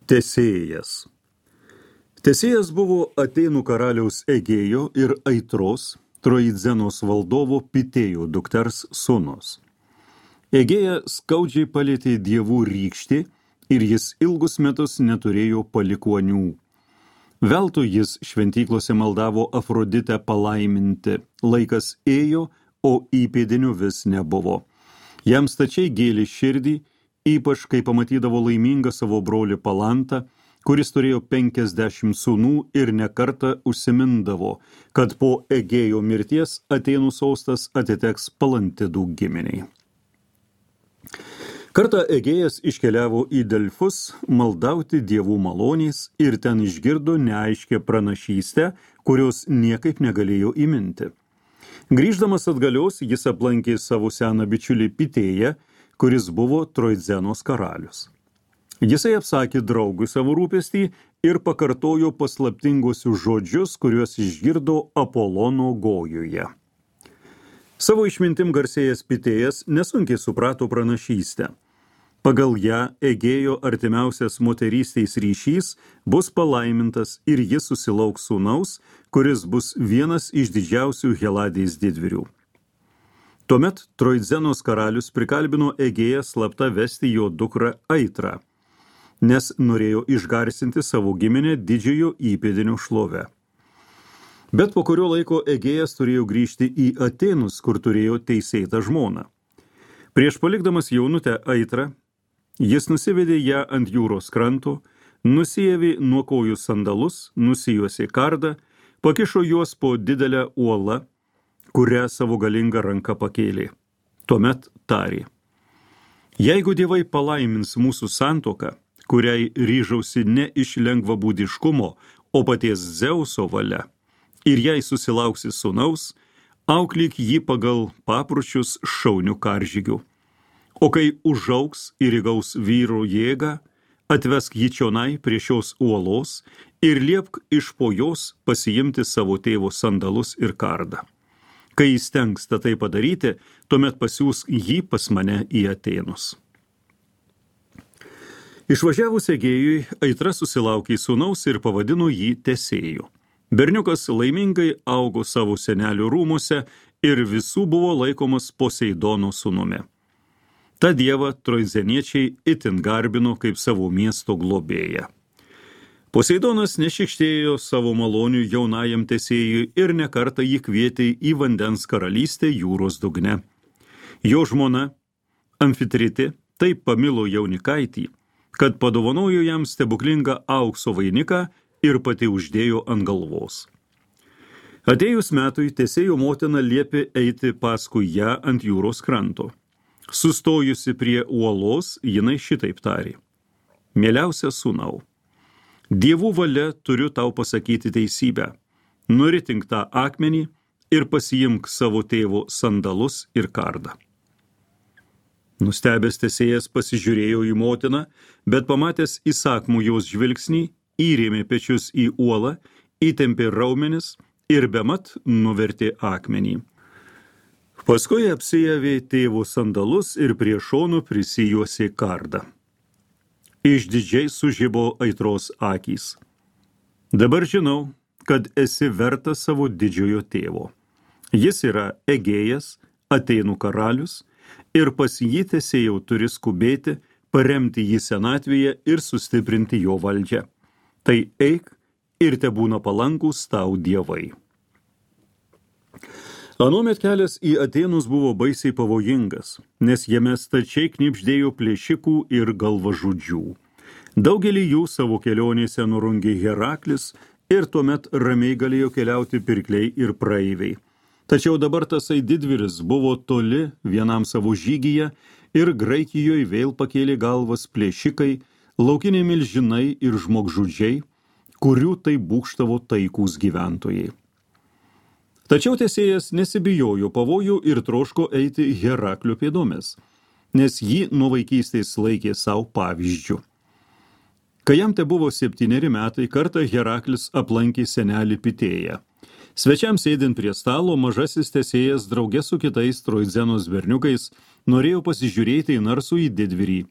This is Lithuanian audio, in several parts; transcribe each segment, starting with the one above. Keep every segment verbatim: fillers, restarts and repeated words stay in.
Tesėjas. Tesėjas buvo Atėnų karaliaus Egėjo ir Aitros, Troidzenos valdovo Pitėjo dukters sūnus. Egėja skaudžiai palėtė dievų rykštį ir jis ilgus metus neturėjo palikuonių. Veltui jis šventyklose maldavo Afroditę palaiminti. Laikas ėjo, o įpėdinių vis nebuvo. Jam stačiai gėlė širdį, ypač kai pamatydavo laimingą savo brolį Palantą, kuris turėjo penkiasdešimt sūnų ir nekartą užsimindavo, kad po Egėjo mirties Atėnų sostas atiteks Palantidų giminiai. Kartą Egėjas iškeliavo į Delfus maldauti dievų malonės ir ten išgirdo neaiškę pranašystę, kurios niekaip negalėjo įminti. Grįždamas atgalios, jis aplankė savo seną bičiulį Pitėją, kuris buvo Troidzenos karalius. Jisai apsakė draugui savo rūpestį ir pakartojo paslaptingosius žodžius, kuriuos išgirdo Apolono Gojuje. Savo išmintim garsėjęs Pitėjas nesunkiai suprato pranašystę. Pagal ją Egėjo artimiausias moterystės ryšys bus palaimintas ir jis susilauks sūnaus, kuris bus vienas iš didžiausių Heladės didvyrių. Tuomet Troidzenos karalius prikalbino Egėją slapta vesti jo dukrą Aitrą, nes norėjo išgarsinti savo giminę didžiojo įpėdinio šlove. Bet po kurio laiko Egėjas turėjo grįžti į Atėnus, kur turėjo teisėtą žmoną. Prieš palikdamas jaunutę Aitrą, jis nusivedė ją ant jūros kranto, nusiėvė nuo kojų sandalus, nusijuosė kardą, pakišo juos po didelę uolą, kurią savo galingą ranką pakėlė. Tuomet tarė: jeigu dievai palaimins mūsų santuoką, kuriai ryžausi ne iš lengvabūdiškumo, o paties Dzeuso valia, ir jei susilauksi sūnaus, auklyk jį pagal papročius šaunių karžygių. O kai užaugs ir įgaus vyro jėgą, atvesk jį čionai prie šios uolos ir liepk iš po jos pasiimti savo tėvo sandalus ir kardą. Kai jis tenksta tai padaryti, tuomet pasiųsk jį pas mane į Atėnus. Išvažiavus Egėjui, Aitra susilaukė sūnaus ir pavadino jį Tesėju. Berniukas laimingai augo savo senelių rūmuose ir visų buvo laikomas Poseidono sūnumi. Ta dievą troidzeniečiai itin garbino kaip savo miesto globėją. Poseidonas nešikštėjo savo malonių jaunajam Tesėjui ir nekartą jį kvietė į vandens karalystę jūros dugne. Jo žmona Amfitritė taip pamilo jaunikaitį, kad padovanojo jam stebuklingą aukso vainiką ir pati uždėjo ant galvos. Atėjus metui Tesėjo motina liepė eiti paskui ją ant jūros kranto. Sustojusi prie uolos, jinai šitaip tarė: mieliausia sūnau, dievų valia turiu tau pasakyti teisybę. Nuritink tą akmenį ir pasiimk savo tėvo sandalus ir kardą. Nustebęs Tesėjas pasižiūrėjo į motiną, bet pamatęs įsakmų jos žvilgsnį, įrėmė pečius į uolą, įtempė raumenis ir bemat nuvertė akmenį. Paskui apsijavė tėvo sandalus ir prie šonų prisijuosė kardą. Išdidžiai sužibo Aitros akys. Dabar žinau, kad esi vertas savo didžiojo tėvo. Jis yra Egėjas, Atėnų karalius, ir pas jį Tesėjau turi skubėti, paremti jį senatvėje ir sustiprinti jo valdžią. Tai eik ir tebūna palankūs tau dievai. Anuomet kelias į Atėnus buvo baisiai pavojingas, nes jame stačiai knibždėjo plėšikų ir galvažudžių. Daugelį jų savo kelionėse nurungė Heraklis ir tuomet ramiai galėjo keliauti pirkliai ir praeiviai. Tačiau dabar tasai didvyris buvo toli vienam savo žygyje ir Graikijoje vėl pakėlė galvas plėšikai, laukiniai milžinai ir žmogžudžiai, kurių tai būkštavo taikūs gyventojai. Tačiau Tesėjas nesibijojo pavojų ir troško eiti Heraklio pėdomis, nes jį nuo vaikystės laikė savo pavyzdžių. Kai jam te buvo septyneri metai, kartą Heraklis aplankė senelį Pitėją. Svečiams sėdint prie stalo, mažasis Tesėjas drauge su kitais Troidzenos berniukais norėjo pasižiūrėti į narsų į didvyrį.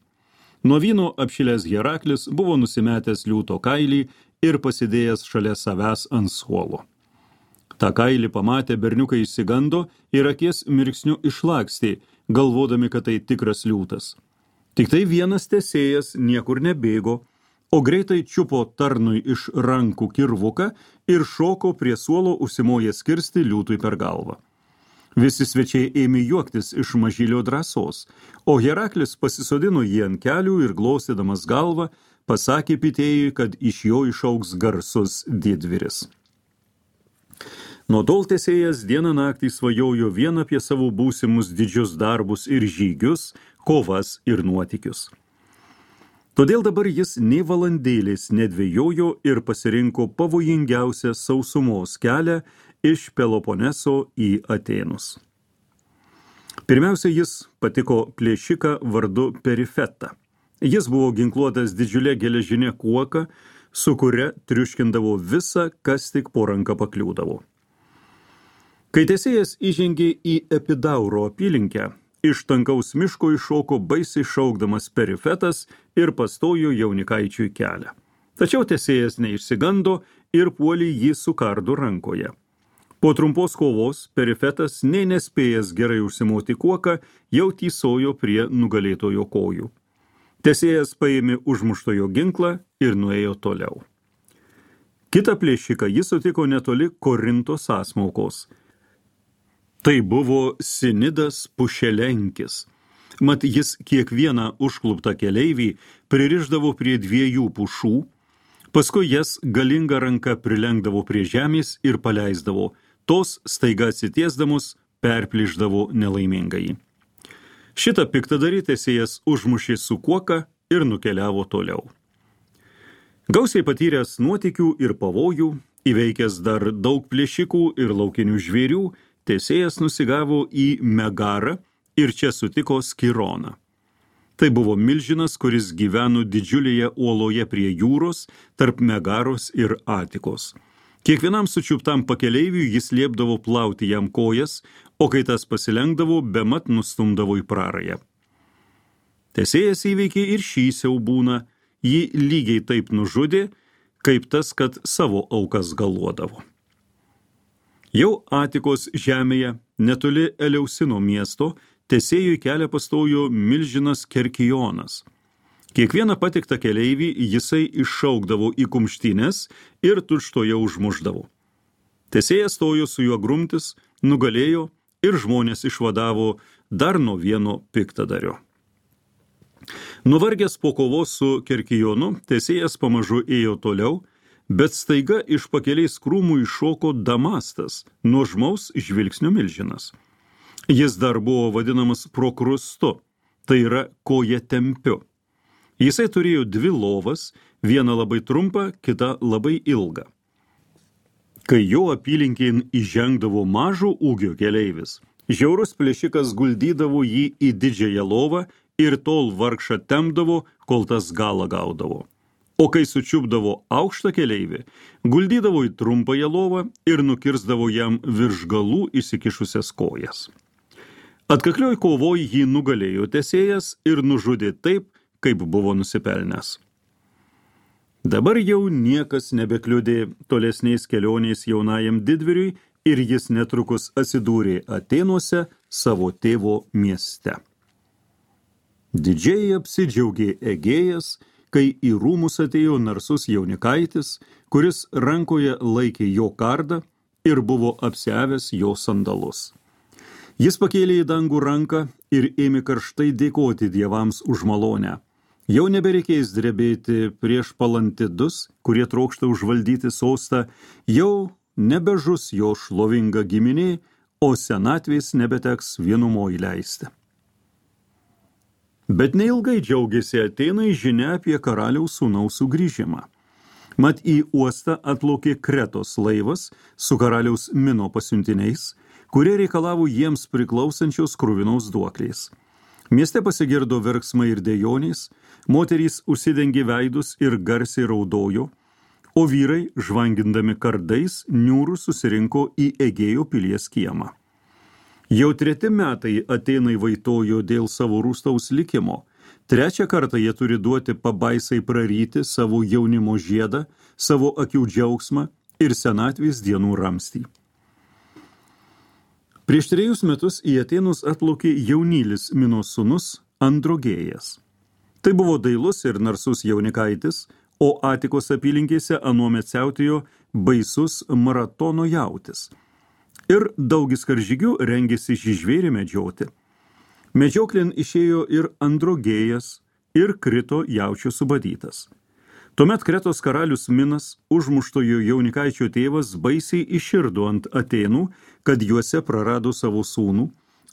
Nuo vyno apšilęs Heraklis buvo nusimetęs liūto kailį ir pasidėjęs šalia savęs ant suolo. Ta kailį pamatę berniukai išsigando ir akies mirksniu išlakstė, galvodami, kad tai tikras liūtas. Tik tai vienas tesėjas niekur nebėgo, o greitai čiupo tarnui iš rankų kirvuką ir šoko prie suolo užsimojęs kirsti liūtui per galvą. Visi svečiai ėmė juoktis iš mažylio drąsos, o Heraklis pasisodino jį ant kelių ir glostydamas galvą pasakė pitėjui, kad iš jo išaugs garsus didvyris. Nuo tol tesėjas dieną naktį svajojo vien apie savo būsimus didžius darbus ir žygius, kovas ir nuotykius. Todėl dabar jis nei valandėlės nedvejojo ir pasirinko pavojingiausią sausumos kelią iš Peloponeso į Atėnus. Pirmiausia, jis patiko plėšiką vardu Perifetą. Jis buvo ginkluotas didžiulė geležinė kuoka, su kuria triuškindavo visą, kas tik po ranką pakliūdavo. Kai tesėjas įžengė į Epidauro apylinkę, iš tankaus miško iššoko baisiai šaukdamas Perifetas ir pastojo jaunikaičiui kelią. Tačiau tesėjas neišsigando ir puolė jį su kardu rankoje. Po trumpos kovos Perifetas, nei nespėjęs gerai užsimoti kuoką, jau tysojo prie nugalėtojo kojų. Tesėjas paėmė užmuštojo ginklą ir nuėjo toliau. Kitą plėšiką jis sutiko netoli Korinto sąsmaukos. Tai buvo Sinidas Pušelenkis. Mat jis kiekvieną užkluptą keleivį pririšdavo prie dviejų pušų, paskui jas galinga ranka prilenkdavo prie žemės ir paleisdavo, tos staiga atsitiesdamos perplyšdavo nelaimingai. Šitą piktadarį tesėjas užmušė su kuoka ir nukeliavo toliau. Gausiai patyręs nuotykių ir pavojų, įveikęs dar daug plėšikų ir laukinių žvėrių, tesėjas nusigavo į Megarą ir čia sutiko Skironą. Tai buvo milžinas, kuris gyveno didžiulėje uoloje prie jūros, tarp Megaros ir Atikos. Kiekvienam sučiuptam pakeleiviui jis liepdavo plauti jam kojas, o kai tas pasilenkdavo, bemat nustumdavo į prarają. Tesėjas įveikė ir šį siaubūną, jį lygiai taip nužudė, kaip tas, kad savo aukas galuodavo. Jau Atikos žemėje, netoli Eleusino miesto, tesėjui kelią pastojo milžinas Kerkijonas. Kiekvieną patiktą keleivį jisai iššaukdavo į kumštines ir tučtoje užmušdavo. Tesėjas stojo su juo grumtis, nugalėjo ir žmonės išvadavo dar nuo vieno piktadario. Nuvargęs po kovos su Kerkijonu, tesėjas pamažu ėjo toliau, bet staiga iš pakeliais krūmų iššoko Damastas, nuožmaus žvilgsnio milžinas. Jis dar buvo vadinamas Prokrustu, tai yra koja tempiu. Jisai turėjo dvi lovas, vieną labai trumpą, kitą labai ilgą. Kai jo apylinkėn įžengdavo mažo ūgio keleivis, žiaurus plėšikas guldydavo jį į didžiąją lovą ir tol vargšą tempdavo, kol tas galą gaudavo. O kai sučiupdavo aukštą keleivį, guldydavo į trumpąją lovą ir nukirsdavo jam virš galų įsikišusias kojas. Atkaklioj kovoj jį nugalėjo tesėjas ir nužudė taip, kaip buvo nusipelnęs. Dabar jau niekas nebekliudė tolesniais kelioniais jaunajam didvyriui ir jis netrukus atsidūrė Atėnuose savo tėvo mieste. Didžiai apsidžiaugė Egėjas, kai į rūmus atėjo narsus jaunikaitis, kuris rankoje laikė jo kardą ir buvo apsiavęs jo sandalus. Jis pakėlė į dangų ranką ir ėmė karštai dėkoti dievams už malonę. Jau nebereikės drebėti prieš palantidus, kurie trokšta užvaldyti sostą, jau nebežus jo šlovinga giminė, o senatvės nebeteks vienumoj leisti. Bet neilgai džiaugiasi Atėnai žinia apie karaliaus sūnaus sugrįžimą. Mat į uostą atplaukė Kretos laivas su karaliaus Mino pasiuntiniais, kurie reikalavo jiems priklausančios kruvinos duoklės. Mieste pasigirdo verksmai ir dejonės, moterys užsidengė veidus ir garsiai raudojo, o vyrai, žvangindami kardais, niūrų susirinko į Egėjo pilies kiemą. Jau treti metai Atėnai vaitojo dėl savo rūstaus likimo, Trečią kartą jie turi duoti pabaisai praryti savo jaunimo žiedą, savo akių džiaugsmą ir senatvės dienų ramstį. Prieš trejus metus į Atėnus atplaukė jaunylis Minos sūnus Androgėjas. Tai buvo dailus ir narsus jaunikaitis, o Atikos apylinkėse anuomet siautėjo baisus maratono jautis. Ir daugis karžygių rengėsi šį žvėrį medžioti. Medžioklin išėjo ir Androgėjas ir krito jaučio subadytas. Tuomet Kretos karalius Minas, užmuštojo jaunikaičio tėvas, baisiai iširdo ant Atėnų, kad juose prarado savo sūnų,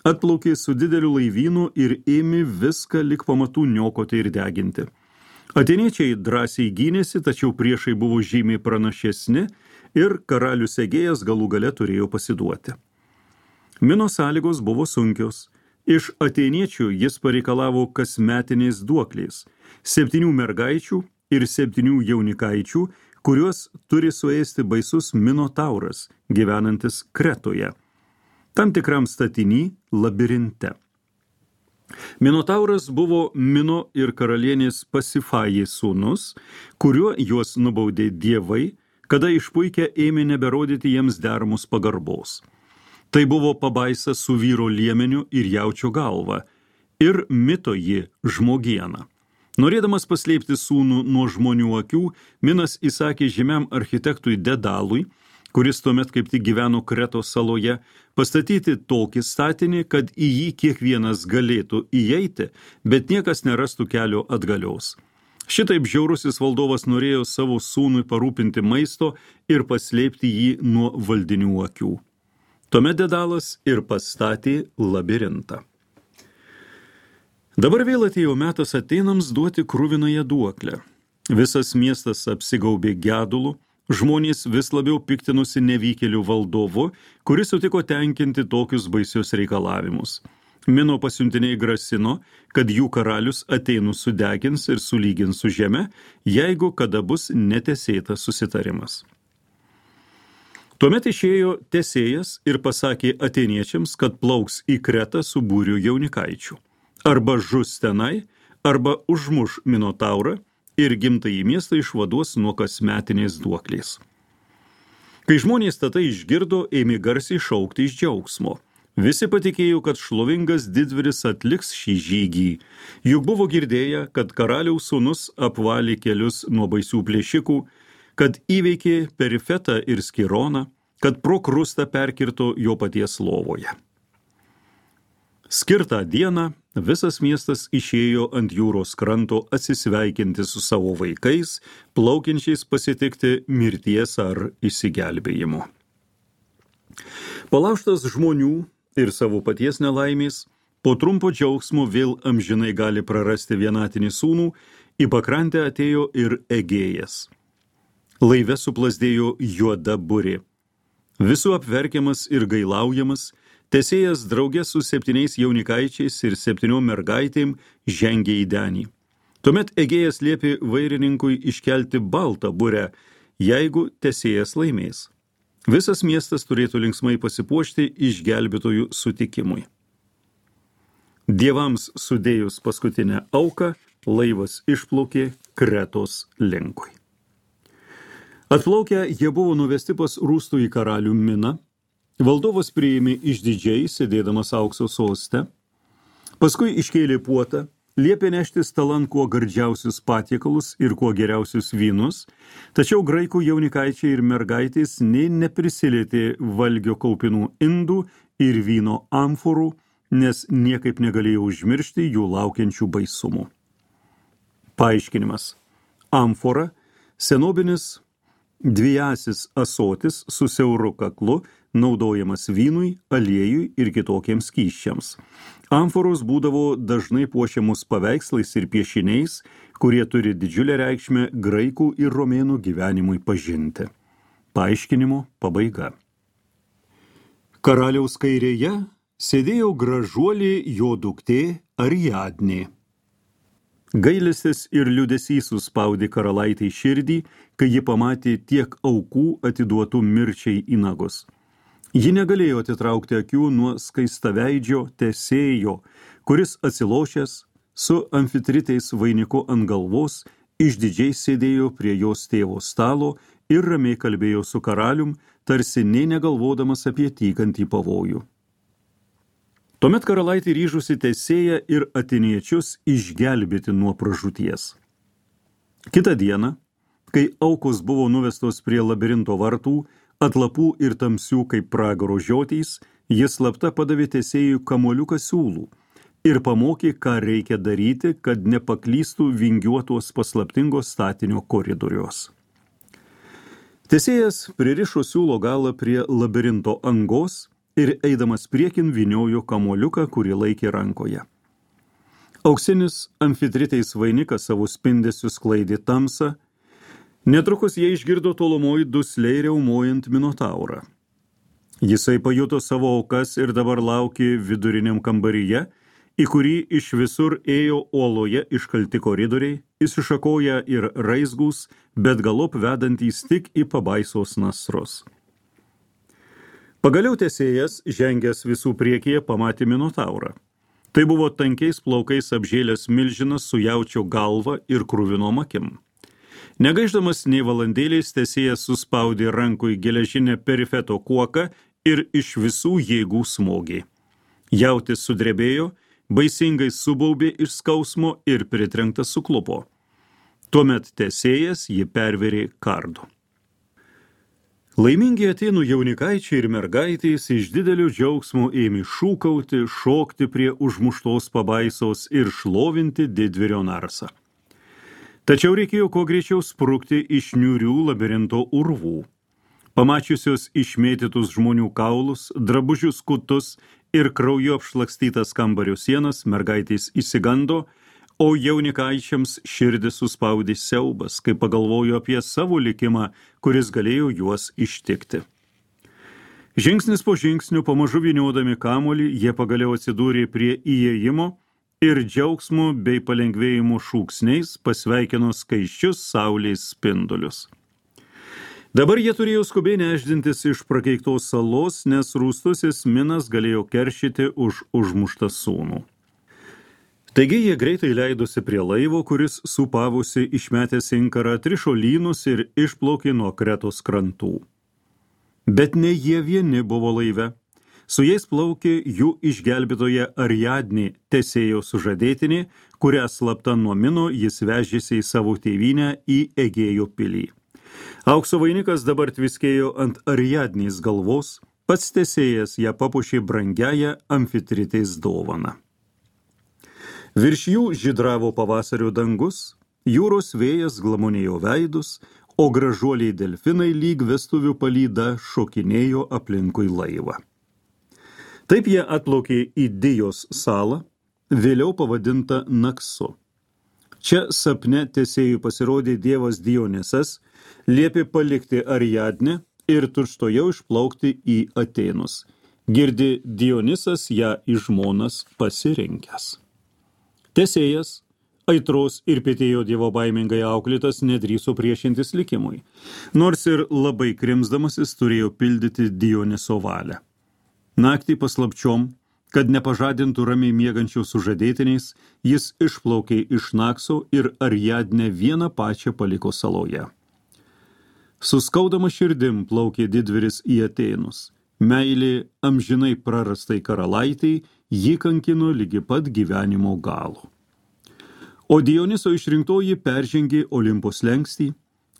atplaukė su dideliu laivynu ir ėmė viską lik pamatų niokoti ir deginti. Atėniečiai drąsiai gynėsi, tačiau priešai buvo žymiai pranašesni ir karalius Egėjas galų gale turėjo pasiduoti. Mino sąlygos buvo sunkios. Iš atėniečių jis pareikalavo kasmetiniais duokliais, septynių mergaičių ir septynių jaunikaičių, kuriuos turi suėsti baisus Minotauras, gyvenantis Kretoje, tam tikram statiny labirinte. Minotauras buvo Mino ir karalienės Pasifajai sūnus, kuriuo juos nubaudė dievai, kada išpuikę ėmė neberodyti jiems deramos pagarbos. Tai buvo pabaisa su vyro liemeniu ir jaučio galva, ir mito ji žmogieną. Norėdamas paslėpti sūnų nuo žmonių akių, Minas įsakė žymiam architektui Dedalui, kuris tuomet kaip tik gyveno Kretos saloje, pastatyti tokį statinį, kad į jį kiekvienas galėtų įeiti, bet niekas nerastų kelio atgalios. Šitaip žiaurusis valdovas norėjo savo sūnui parūpinti maisto ir paslėpti jį nuo valdinių akių. Tuomet Dedalas ir pastatė labirintą. Dabar vėl atėjo metas Atėnams duoti kruvinąją duoklę. Visas miestas apsigaubė gedulu, žmonės vis labiau piktinusi nevykėlių valdovu, kuris sutiko tenkinti tokius baisius reikalavimus. Mino pasiuntiniai grasino, kad jų karalius Atėnus sudegins ir sulygins su žeme, jeigu kada bus netesėtas susitarimas. Tuomet išėjo Tesėjas ir pasakė atėniečiams, kad plauks į Kretą su būriu jaunikaičių. Arba žus tenai, arba užmuš Minotaurą ir gimtąjį miestą išvaduos nuo kasmetinės duoklės. Kai žmonės tatai išgirdo, ėmė garsiai šaukti iš džiaugsmo. Visi patikėjo, kad šlovingas didvyris atliks šį žygį. Juk buvo girdėję, kad karaliaus sūnus apvalė kelius nuo baisių plėšikų, kad įveikė Perifetą ir Skironą, kad pro krustą perkirto jo paties lovoje. Skirtą dieną visas miestas išėjo ant jūros kranto atsisveikinti su savo vaikais, plaukiančiais pasitikti mirties ar išsigelbėjimo. Palaužtas žmonių ir savo paties nelaimės, po trumpo džiaugsmo vėl amžinai gali prarasti vienatinį sūnų, į pakrantę atėjo ir Egėjas. Laive suplasdėjo juoda burė. Visų apverkiamas ir gailaujamas, Tesėjas drauge su septyniais jaunikaičiais ir septyniom mergaitėm žengė į denį. Tuomet Egėjas liepė vairininkui iškelti baltą burę, jeigu Tesėjas laimės. Visas miestas turėtų linksmai pasipuošti išgelbėtojų sutikimui. Dievams sudėjus paskutinę auką, laivas išplaukė Kretos linkui. Atplaukę, jie buvo nuvesti pas rūstųjį karalių Miną. Valdovas priėmė išdidžiai, sėdėdamas aukso soste. Paskui iškėlė puotą, liepė nešti stalan kuo gardžiausius patiekalus ir kuo geriausius vynus, tačiau graikų jaunikaičiai ir mergaitės nei neprisilietė valgio kaupinų indų ir vyno amforų, nes niekaip negalėjo užmiršti jų laukiančių baisumų. Paaiškinimas. Amfora – senobinis dvijasis ąsotis su siauru kaklu, naudojamas vynui, aliejui ir kitokiems skysčiams. Amforos būdavo dažnai puošiamus paveikslais ir piešiniais, kurie turi didžiulę reikšmę graikų ir romėnų gyvenimui pažinti. Paaiškinimo pabaiga. Karaliaus kairėje sėdėjo gražuolė jo duktė Ariadnė. Gailestis ir liūdesys suspaudė karalaitei širdį, kai ji pamatė tiek aukų atiduotų mirčiai į nagus. Ji negalėjo atitraukti akių nuo skaistaveidžio Tesėjo, kuris atsilošęs, su amfitritais vainiku ant galvos, išdidžiai sėdėjo prie jos tėvo stalo ir ramiai kalbėjo su karalium, tarsi nė negalvodamas apie tykantį pavojų. Tuomet karalaitė ryžusi Tesėją ir atėniečius išgelbėti nuo pražūties. Kitą dieną, kai aukos buvo nuvestos prie labirinto vartų, atlapų ir tamsių kaip pragaro žiotys, jis slapta padavė Tesėjui kamuoliuką siūlų ir pamokė, ką reikia daryti, kad nepaklystų vingiuotos paslaptingos statinio koridorios. Tesėjas pririšo siūlo galą prie labirinto angos ir eidamas priekin vyniojo kamuoliuką, kurį laikė rankoje. Auksinis amfitritais vainikas savo spindesiu sklaidė tamsą. Netrukus jie išgirdo tolumoj dusliai riaumojant minotaurą. Jisai pajuto savo aukas ir dabar laukė viduriniam kambaryje, į kurį iš visur ėjo uoloje iškalti koridoriai, įsišakoja ir raizgūs, bet galop vedantys tik į pabaisos nasrus. Pagaliau Tesėjas, žengęs visų priekyje, pamatė minotaurą. Tai buvo tankiais plaukais apžėlęs milžinas su jaučio galva ir kruvinom akim. Negaiždamas nei valandėliais, Tesėjas suspaudė rankui geležinę perifeto kuoką ir iš visų jėgų smogė. Jautis sudrebėjo, baisingai subaubė iš skausmo ir pritrenktas suklupo. Tuomet Tesėjas jį perverė kardu. Laimingi Atėnų jaunikaičiai ir mergaitės iš didelio džiaugsmo ėmė šūkauti, šokti prie užmuštos pabaisos ir šlovinti didvyrio narsą. Tačiau reikėjo kuo greičiau sprukti iš niūrių labirinto urvų. Pamačiusios išmėtytus žmonių kaulus, drabužius kutus ir krauju apšlakstytas kambario sienas, mergaitės išsigando, o jaunikaičiams širdis suspaudė siaubas, kai pagalvojo apie savo likimą, kuris galėjo juos ištikti. Žingsnis po žingsnių, pamažu vyniodami kamuolį, jie pagaliau atsidūrė prie įėjimo ir džiaugsmo bei palengvėjimo šūksniais pasveikino skaisčius saulės spindulius. Dabar jie turėjo skubiai nešdintis iš prakeiktos salos, nes rūstusis minas galėjo keršyti už užmuštą sūnų. Taigi jie greitai leidosi prie laivo, kuris supavusi išmetęs inkarą trišo lynus ir išplaukė nuo Kretos krantų. Bet ne jie vieni buvo laive. Su jais plaukė jų išgelbėtoje Ariadnė, Tesėjo sužadėtinė, kurią slapta nuo mino jis vežėsi į savo tėvynę į Egėjo pilį. Aukso vainikas dabar tviskėjo ant Ariadnės galvos, pats Tesėjas ją papuošė brangiąją amfitritės dovaną. Virš jų žydravo pavasario dangus, jūros vėjas glamonėjo veidus, o gražuoliai delfinai lyg vestuvių palyda šokinėjo aplinkui laivą. Taip jie atplaukė į Dijos salą, vėliau pavadinta Naksu. Čia sapne Tesėjui pasirodė dievas Dionysas, liepė palikti Ariadnę ir tučtuojau išplaukti į Atėnus. Girdi Dionysas ją į žmonas pasirinkęs. Tesėjas, aitros ir pietėjo dievo baimingai auklėtas, nedrįso priešintis likimui, nors ir labai krimsdamasis turėjo pildyti Dioniso valią. Naktį paslapčiom, kad nepažadintų ramiai miegančių sužadėtiniais, jis išplaukė iš Nakso ir Ariadnę vieną pačią paliko saloje. Suskaudama širdim plaukė didvyris į Atėnus. Meilė amžinai prarastai karalaitei jį kankino lygi pat gyvenimo galo. O Dioniso išrinktoji peržengė Olimpo slenkstį,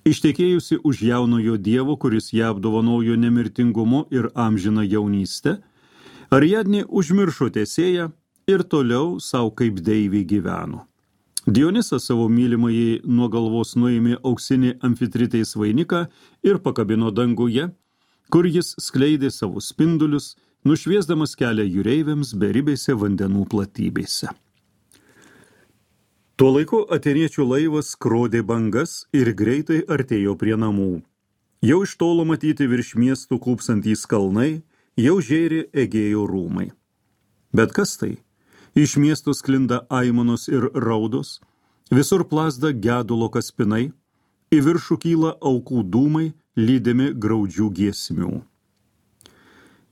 ištekėjusi už jaunojo dievo, kuris ją apdovanojo nemirtingumu ir amžiną jaunystę, Ariadnė užmiršo Tesėją ir toliau savo kaip deivė gyveno. Dionysas savo mylimąjį nuo galvos nuėmė auksinį amfitritės vainiką ir pakabino danguje, kur jis skleidė savo spindulius, nušviesdamas kelią jūreiviams beribėse vandenų platybėse. Tuo laiku atėniečių laivas skrodė bangas ir greitai artėjo prie namų. Jau iš tolo matyti virš miestų klūpsantys kalnai, jau žėrė Egėjo rūmai. Bet kas tai? Iš miestų sklinda aimanos ir raudos, visur plazda gedulo kaspinai, į viršų kyla aukų dūmai, lydimi graudžių giesmių.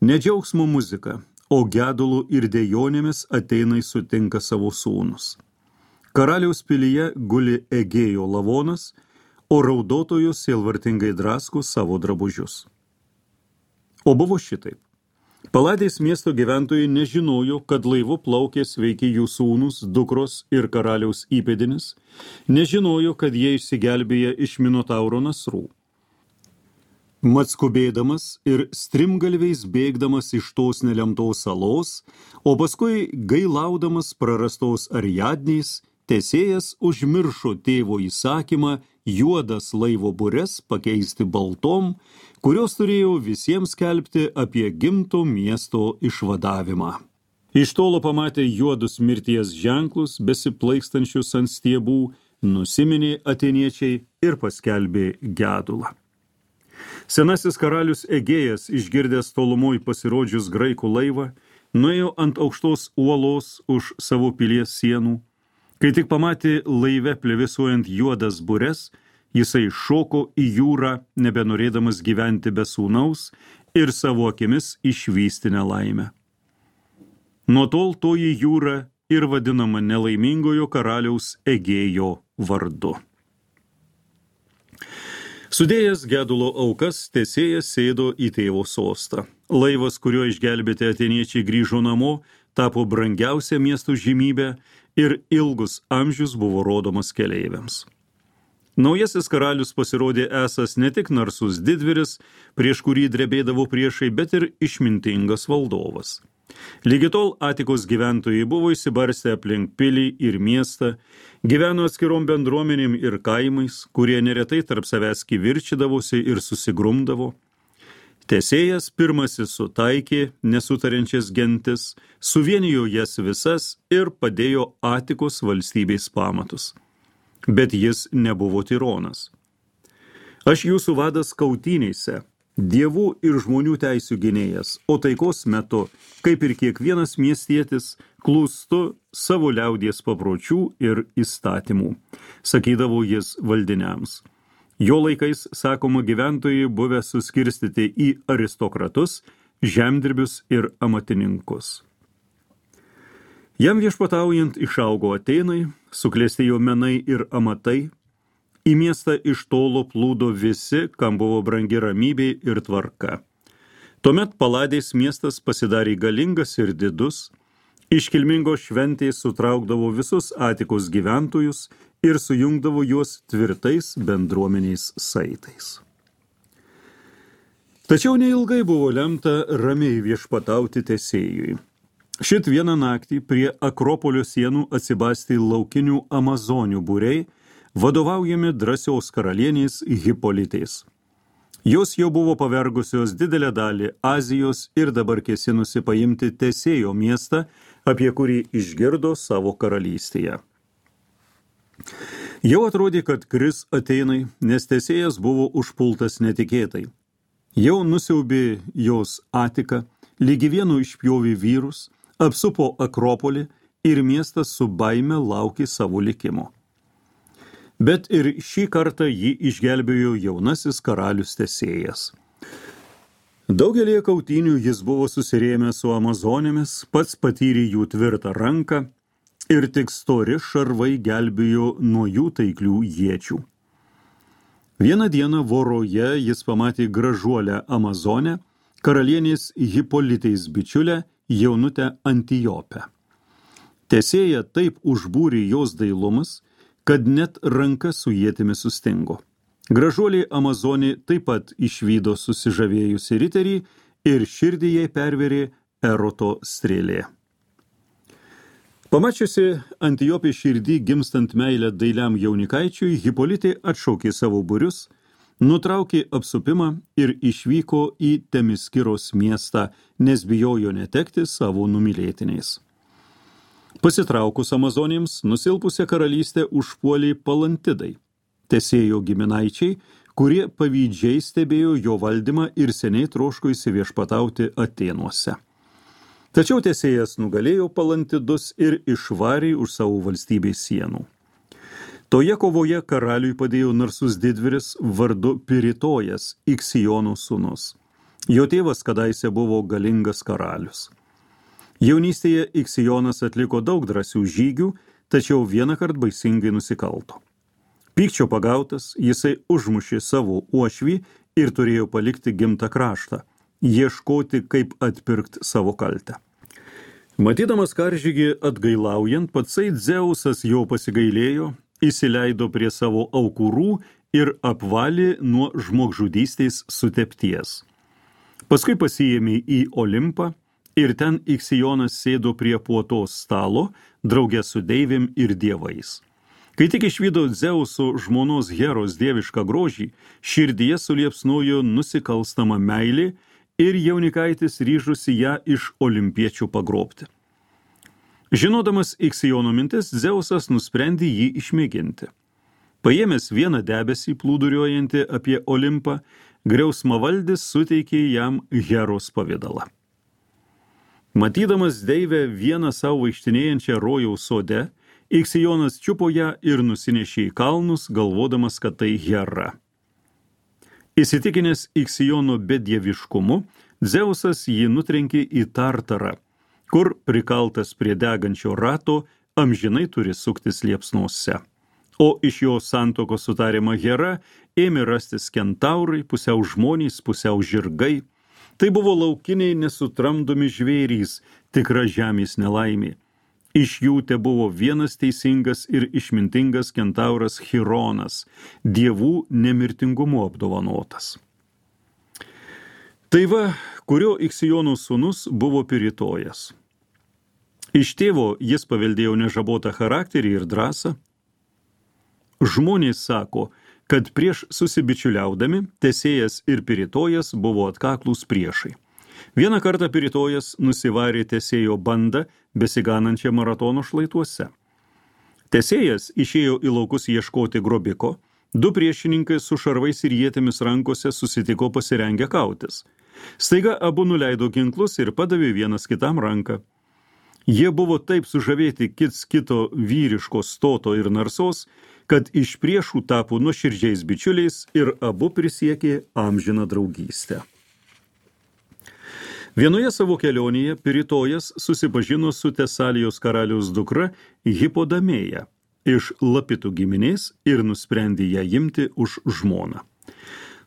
Ne džiaugsmo muzika, o gedulų ir dejonėmis Atėnai sutinka savo sūnus. Karaliaus pilyje guli Egėjo lavonas, o raudotojos sielvartingai drasko savo drabužius. O buvo šitaip. Paladės miesto gyventojai nežinojo, kad laivu plaukė sveiki jų sūnus, dukros ir karaliaus įpėdinis, nežinojo, kad jie išsigelbėja iš Minotauro nasrų. Mat skubėdamas ir strimgalviais bėgdamas iš tos nelemtos salos, o paskui gailaudamas prarastos Ariadnės, Tesėjas užmiršo tėvo įsakymą juodas laivo bures pakeisti baltom, kurios turėjo visiems skelbti apie gimto miesto išvadavimą. Iš tolo pamatė juodus mirties ženklus, besiplaikstančius ant stiebų, nusiminė atėniečiai ir paskelbė gedulą. Senasis karalius Egėjas, išgirdęs tolumoj pasirodžius graikų laivą, nuėjo ant aukštos uolos už savo pilies sienų. Kai tik pamatė laive plevėsuojant juodas bures, jisai šoko į jūrą, nebenorėdamas gyventi be sūnaus ir savo akimis išvysti nelaimę. Nuo tol toji jūra ir vadinama nelaimingojo karaliaus Egėjo vardu. Sudėjęs gedulo aukas, Tesėjas sėdo į tėvo sostą. Laivas, kuriuo išgelbėti atėniečiai grįžo namo, tapo brangiausia miesto žymybė ir ilgus amžius buvo rodomas keleiviams. Naujasis karalius pasirodė esas ne tik narsus didvyris, prieš kurį drebėdavo priešai, bet ir išmintingas valdovas. Lygi tol Atikos gyventojai buvo įsibarstę aplink pilį ir miestą, gyveno atskirom bendruomenėm ir kaimais, kurie neretai tarp savęs kivirčydavosi ir susigrumdavo. Tesėjas pirmasis sutaikė nesutariančias gentis, suvienijo jas visas ir padėjo Atikos valstybės pamatus. Bet jis nebuvo tironas. Aš jūsų vadas kautynėse, dievų ir žmonių teisių gynėjas, o taikos metu, kaip ir kiekvienas miestietis, klūstu savo liaudies papročių ir įstatymų, sakydavo jis valdiniams. Jo laikais, sakoma, gyventojai buvę suskirstyti į aristokratus, žemdirbius ir amatininkus. Jam viešpataujant išaugo Atėnai, suklestėjo menai ir amatai, į miestą iš tolo plūdo visi, kam buvo brangi ramybė ir tvarka. Tuomet Paladės miestas pasidarė galingas ir didus, iškilmingos šventės sutraukdavo visus Atikos gyventojus ir sujungdavo juos tvirtais bendruomeniais saitais. Tačiau neilgai buvo lemta ramiai viešpatauti Tesėjui. Šit vieną naktį prie Akropolio sienų atsibastė laukinių amazonių būriai, vadovaujami drąsios karalienės Hipolitės. Jos jau buvo pavergusios didelę dalį Azijos ir dabar kėsinusi paimti Tesėjo miestą, apie kurį išgirdo savo karalystėje. Jau atrodė, kad kris Atėnai, nes Tesėjas buvo užpultas netikėtai. Jau nusiaubė jos Atiką, lygi vienu išpjovė vyrus, apsupo Akropolį ir miestas su baime laukė savo likimo. Bet ir šį kartą jį išgelbėjo jaunasis karalius Tesėjas. Daugelį kautynių jis buvo susirėmęs su amazonėmis, pats patyrė jų tvirtą ranką ir tik stori šarvai gelbėjo nuo jų taiklių iečių. Vieną dieną voroje jis pamatė gražuolę amazonę, karalienės Hipolitės bičiulę, jaunutę Antijopę. Tesėja taip užbūrė jos dailumas, kad net ranka su ietimi sustingo. Gražuolė amazonė taip pat išvydo susižavėjusi riterį ir širdį jai perverė Eroto strėlė. Pamačiusi Antijopė širdį gimstant meilę dailiam jaunikaičiui, Hipolitė atšaukė savo būrius, nutraukė apsupimą ir išvyko į Temiskiros miestą, nes bijojo netekti savo numylėtiniais. Pasitraukus amazonėms, nusilpusią karalystę užpuolė Palantidai, Tesėjo giminaičiai, kurie pavydžiai stebėjo jo valdymą ir seniai troško įsiviešpatauti Atėnuose. Tačiau Tesėjas nugalėjo Palantidus ir išvarė už savo valstybės sienų. Toje kovoje karaliui padėjo narsus didvyris vardu Piritojas, Iksijono sūnus. Jo tėvas kadaise buvo galingas karalius. Jaunystėje Iksijonas atliko daug drąsių žygių, tačiau vienąkart baisingai nusikalto. Pykčio pagautas, jisai užmušė savo uošvį ir turėjo palikti gimtą kraštą, ieškoti, kaip atpirkti savo kaltę. Matydamas karžygį atgailaujant, patsai Dzeusas jo pasigailėjo, įsileido prie savo aukurų ir apvalė nuo žmogžudystės sutepties. Paskui pasiėmė į Olimpą ir ten Iksijonas sėdo prie puotos stalo, drauge su deivėm ir dievais. Kai tik išvydo Dzeuso žmonos Heros dievišką grožį, širdyje suliepsnojo nusikalstama meilė ir jaunikaitis ryžusi ją iš olimpiečių pagrobti. Žinodamas Iksijono mintis, Dzeusas nusprendė jį išmėginti. Paėmęs vieną debesį plūduriuojantį apie Olimpą, griausmavaldis suteikė jam Heros pavidalą. Matydamas deivę vieną savo vaikštinėjančią rojaus sode, Iksijonas čiupo ją ir nusinešė į kalnus, galvodamas, kad tai Hera. Įsitikinęs Iksijono bedieviškumu, Dzeusas jį nutrenkė į Tartarą, kur prikaltas prie degančio rato amžinai turi suktis liepsnose. O iš jo santokos su tariama Hera ėmė rastis kentaurai, pusiau žmonės, pusiau žirgai. Tai buvo laukiniai nesutramdomi žvėrys, tikra žemės nelaimė. Iš jų te buvo vienas teisingas ir išmintingas kentauras Chironas, dievų nemirtingumu apdovanotas. Tai va, kurio Iksijono sūnus buvo Piritojas. Iš tėvo jis paveldėjo nežabotą charakterį ir drąsą. Žmonės sako, kad prieš susibičiuliaudami Tesėjas ir Piritojas buvo atkaklūs priešai. Vieną kartą Piritojas nusivarė Tesėjo bandą besiganančią maratono šlaituose. Tesėjas išėjo į laukus ieškoti grobiko, du priešininkai su šarvais ir ietimis rankose susitiko pasirengę kautis. Staiga abu nuleido ginklus ir padavė vienas kitam ranką. Jie buvo taip sužavėti kits kito vyriško stoto ir narsos, kad iš priešų tapo nuoširdžiais bičiuliais ir abu prisiekė amžiną draugystę. Vienoje savo kelionėje Piritojas susipažino su Tesalijos karaliaus dukra Hipodamėja iš Lapitų giminės ir nusprendė ją imti už žmoną.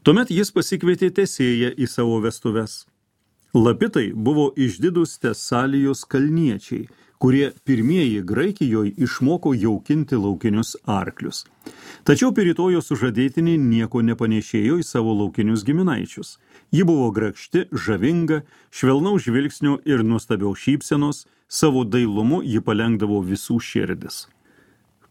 Tuomet jis pasikvietė Tesėją į savo vestuves. Lapitai buvo išdidūs Tesalijos kalniečiai, kurie pirmieji Graikijoje išmoko jaukinti laukinius arklius. Tačiau Piritojo sužadėtinė nieko nepanešėjo į savo laukinius giminaičius. Ji buvo grakšti, žavinga, švelnaus žvilgsnio ir nuostabiaus šypsenos, savo dailumu ji palengdavo visų širdis.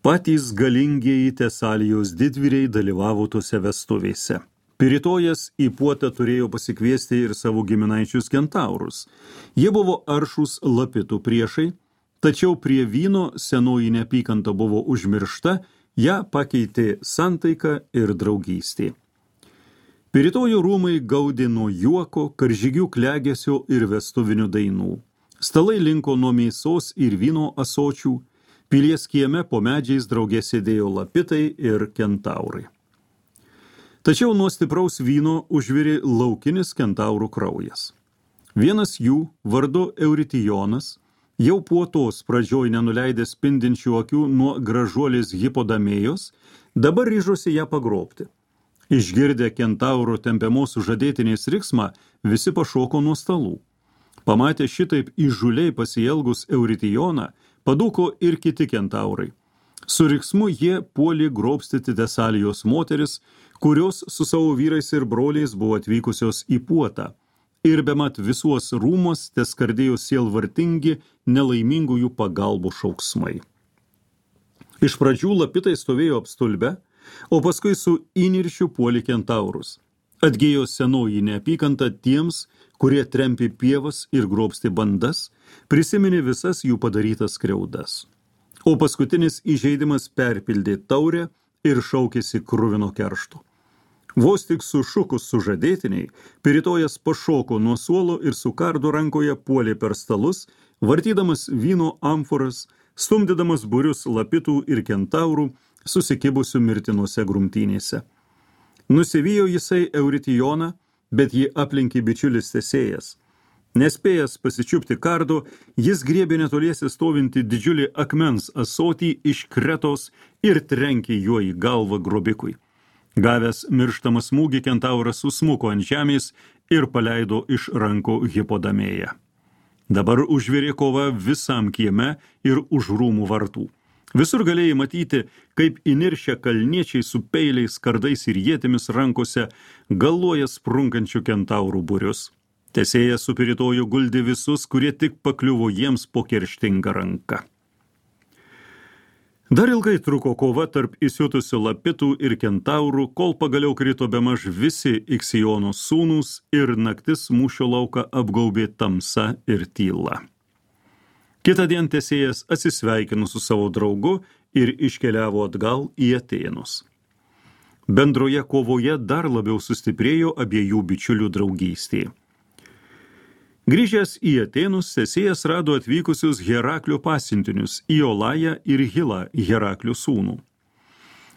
Patys galingieji Tesalijos didvyriai dalyvavo tose vestuvėse. Piritojas į puotą turėjo pasikviesti ir savo giminaičius kentaurus. Jie buvo aršūs Lapitų priešai, tačiau prie vyno senoji neapykanta buvo užmiršta, ją pakeitė santaika ir draugystė. Piritojo rūmai gaudė nuo juoko, karžygių klegesio ir vestuvinių dainų. Stalai linko nuo mėsos ir vyno asočių, pilies kieme po medžiais drauge sėdėjo Lapitai ir kentaurai. Tačiau nuo stipraus vyno užvirė laukinis kentaurų kraujas. Vienas jų, vardu Euritijonas, jau puotos pradžioj nenuleidęs spindinčių akių nuo gražuolės Hipodamėjos, dabar ryžosi ją pagrobti. Išgirdę kentauro tempiamos sužadėtinės riksmą, visi pašoko nuo stalų. Pamatę šitaip įžūliai pasielgus Euritijoną, padūko ir kiti kentaurai. Su riksmu jie puolė grobstyti Tesalijos moteris, kurios su savo vyrais ir broliais buvo atvykusios į puotą. Ir bemat visuos rūmos teskardėjo sielvartingi nelaimingųjų pagalbų šauksmai. Iš pradžių Lapitai stovėjo apstulbę, o paskui su įniršiu puolė kentaurus. Atgėjo senoji neapykanta tiems, kurie trempė pievas ir grobstė bandas, prisiminė visas jų padarytas skriaudas. O paskutinis įžeidimas perpildė taurę ir šaukėsi kruvino keršto. Vos tik sušukus sužadėtiniai, Piritojas pašoko nuo suolo ir su kardu rankoje puolė per stalus, vartydamas vyno amforas, stumdydamas būrius Lapitų ir kentaurų, susikibusių mirtinuose grumtynėse. Nusivijo jisai Euritijoną, bet jį aplinkė bičiulis Tesėjas. Nespėjęs pasičiupti kardo, jis griebė netoliese stovinti didžiulį akmens asotį iš Kretos ir trenkė juo į galvą grobikui. Gavęs mirštamą smūgį, kentauras susmuko ant žemės ir paleido iš rankų Hipodamėją. Dabar užvirė kova visam kieme ir už rūmų vartų. Visur galėjai matyti, kaip įniršę kalniečiai su peiliais, kardais ir ietimis rankose galvoja sprunkančių kentaurų būrius. Tesėjas su piritoju guldė visus, kurie tik pakliuvo jiems po kerštingą ranką. Dar ilgai truko kova tarp įsiutusių lapitų ir kentaurų, kol pagaliau krito bemaž visi Iksijono sūnūs ir naktis mūšio lauką apgaubė tamsa ir tyla. Kitą dieną Tesėjas atsisveikino su savo draugu ir iškeliavo atgal į Atėnus. Bendroje kovoje dar labiau sustiprėjo abiejų bičiulių draugystė. Grįžęs į Atėnus, Tesėjas rado atvykusius Heraklio pasiuntinius Iolają ir Hilą, Heraklio sūnų.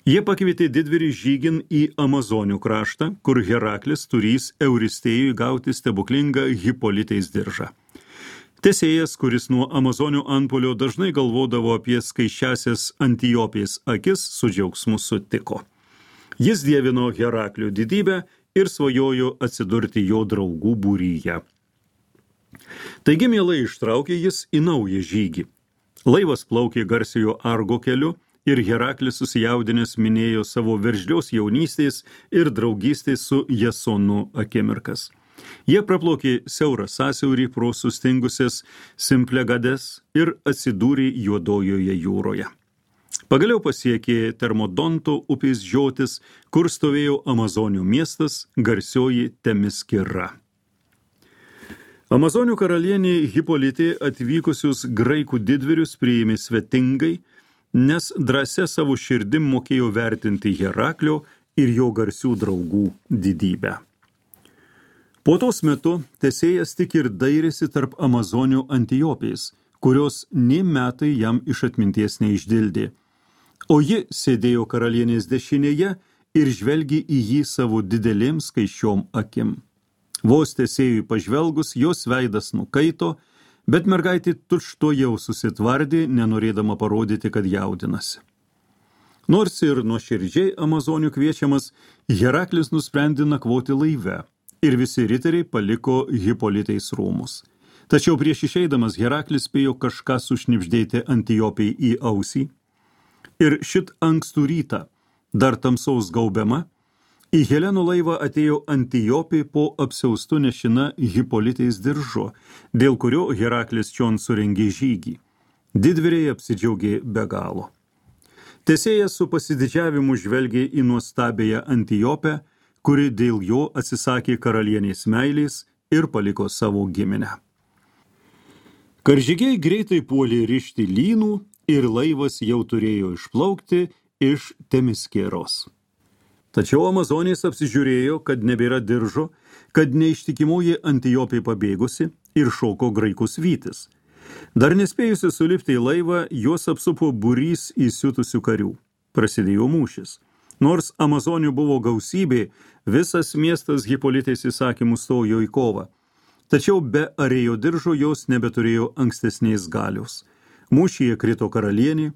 Jie pakvietė didvyrį žygin į Amazonių kraštą, kur Heraklis turys Euristėjui gauti stebuklingą Hipolitės diržą. Tesėjas, kuris nuo Amazonių antpuolio dažnai galvodavo apie skaičiąsias Antijopės akis, su džiaugsmu sutiko. Jis dievino Heraklio didybę ir svajojo atsidurti jo draugų būryje. Taigi mielai ištraukė jis į naują žygį. Laivas plaukė garsiojo Argo keliu ir Heraklis susijaudinęs minėjo savo veržlios jaunystės ir draugystės su Jasonu akimirkas. Jie praplaukė siaurą sąsiaurį pro sustingusias Simplegades ir atsidūrė Juodojoje jūroje. Pagaliau pasiekė Termodonto upės žiotis, kur stovėjo Amazonių miestas, garsioji Temiskira. Amazonių karalienė Hipolitė atvykusius graikų didvyrius priėmė svetingai, nes drąsia savo širdim mokėjo vertinti Heraklio ir jo garsių draugų didybę. Po tos metu Tesėjas tik ir dairėsi tarp Amazonių Antijopės, kurios nė metai jam iš atminties neišdildė, o ji sėdėjo karalienės dešinėje ir žvelgė į jį savo didelėm skaičiom akim. Vos Tesėjui pažvelgus, jos veidas nukaito, bet mergaitė tučtuojau susitvardė, nenorėdama parodyti, kad jaudinasi. Nors ir nuoširdžiai Amazonių kviečiamas, Heraklis nusprendė nakvoti laive ir visi riteriai paliko Hipolitės rūmus. Tačiau prieš išeidamas Heraklis spėjo kažką sušnibždėti Antijopei į ausį ir šit ankstų rytą, dar tamsaus gaubiama, į Helenų laivą atėjo Antijopė po apsiaustu nešina Hipolitės diržu, dėl kurio Heraklis čion surengė žygį. Didvyriai apsidžiaugė be galo. Tesėjas su pasididžiavimu žvelgė į nuostabėją Antijopę, kuri dėl jo atsisakė karalienės meilės ir paliko savo giminę. Karžygiai greitai puolė rišti lynų ir laivas jau turėjo išplaukti iš Temiskeros. Tačiau Amazonės apsižiūrėjo, kad nebėra diržo, kad neištikimoji Antijopė pabėgusi ir šoko graikus vytis. Dar nespėjusi sulipti į laivą, juos apsupo būrys įsiutusių karių. Prasidėjo mūšis. Nors Amazonių buvo gausybė, visas miestas Hipolitės įsakymų stojo į kovą. Tačiau be arėjo diržo jos nebeturėjo ankstesnės galios. Mūšyje krito karalienė,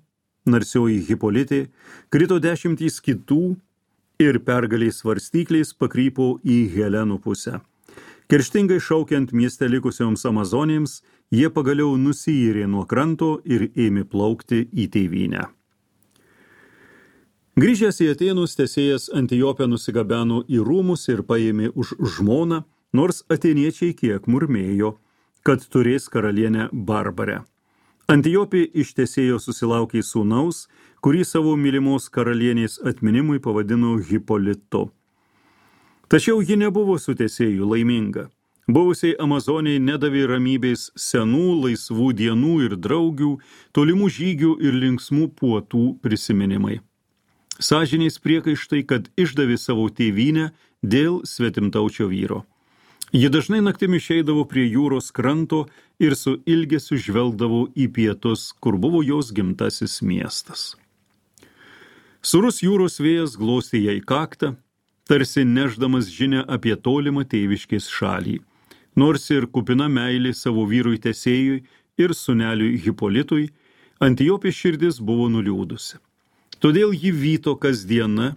narsioji Hipolitė, krito dešimtys kitų, ir pergaliais svarstykliais pakrypo į Helenų pusę. Kerštingai šaukiant mieste likusioms Amazonėms, jie pagaliau nusiyrė nuo kranto ir ėmė plaukti į tėvynę. Grįžęs į Atėnus, Tesėjas Antijopę nusigabeno į rūmus ir paėmė už žmoną, nors atėniečiai kiek murmėjo, kad turės karalienę Barbarę. Antijopė iš Tesėjo susilaukė sūnaus, kurį savo mylimos karalienės atminimui pavadino Hipolitu. Tačiau ji nebuvo su Tesėju laiminga. Buvusiai Amazoniai nedavė ramybės senų laisvų dienų ir draugių, tolimų žygių ir linksmų puotų prisiminimai. Sąžinės priekaištai, kad išdavė savo tėvynę dėl svetimtaučio vyro. Ji dažnai naktimi išeidavo prie jūros kranto ir su ilgesiu žvelgdavo į pietus, kur buvo jos gimtasis miestas. Surus jūros vėjas glostė jai kaktą, tarsi neždamas žinią apie tolimą tėviškės šalį. Nors ir kupina meilė savo vyrui Tesėjui ir sūneliui Hipolitui, Antijopės širdis buvo nuliūdusi. Todėl ji vyto kasdieną